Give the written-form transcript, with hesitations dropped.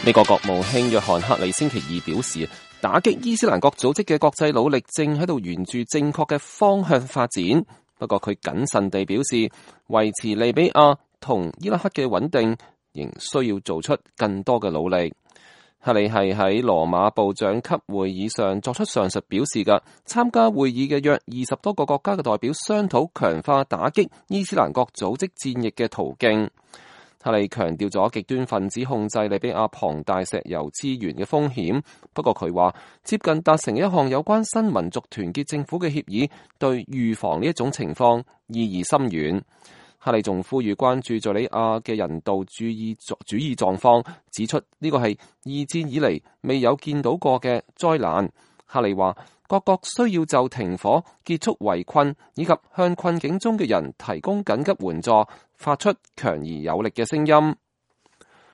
美國國務卿約翰克里星期二表示，打擊伊斯蘭國組織嘅國際努力正喺度沿住正確嘅方向發展。不過佢謹慎地表示，維持利比亞同伊拉克嘅穩定仍需要做出更多嘅努力。克里係喺羅馬部長級會議上作出上述表示嘅，參加會議嘅約20多個國家嘅代表商討強化打擊伊斯蘭國組織戰役嘅途徑。克里強調咗極端分子控制利比亞龐大石油資源嘅風險，不過佢話接近達成一項有關新民族團結政府嘅協議，對預防呢一種情況意義深遠。克里仲呼籲關注敘利亞嘅人道主義狀況，指出呢個係二戰以嚟未有見到過嘅災難。克里話各國需要就停火、結束圍困以及向困境中嘅人提供緊急援助發出強而有力嘅聲音。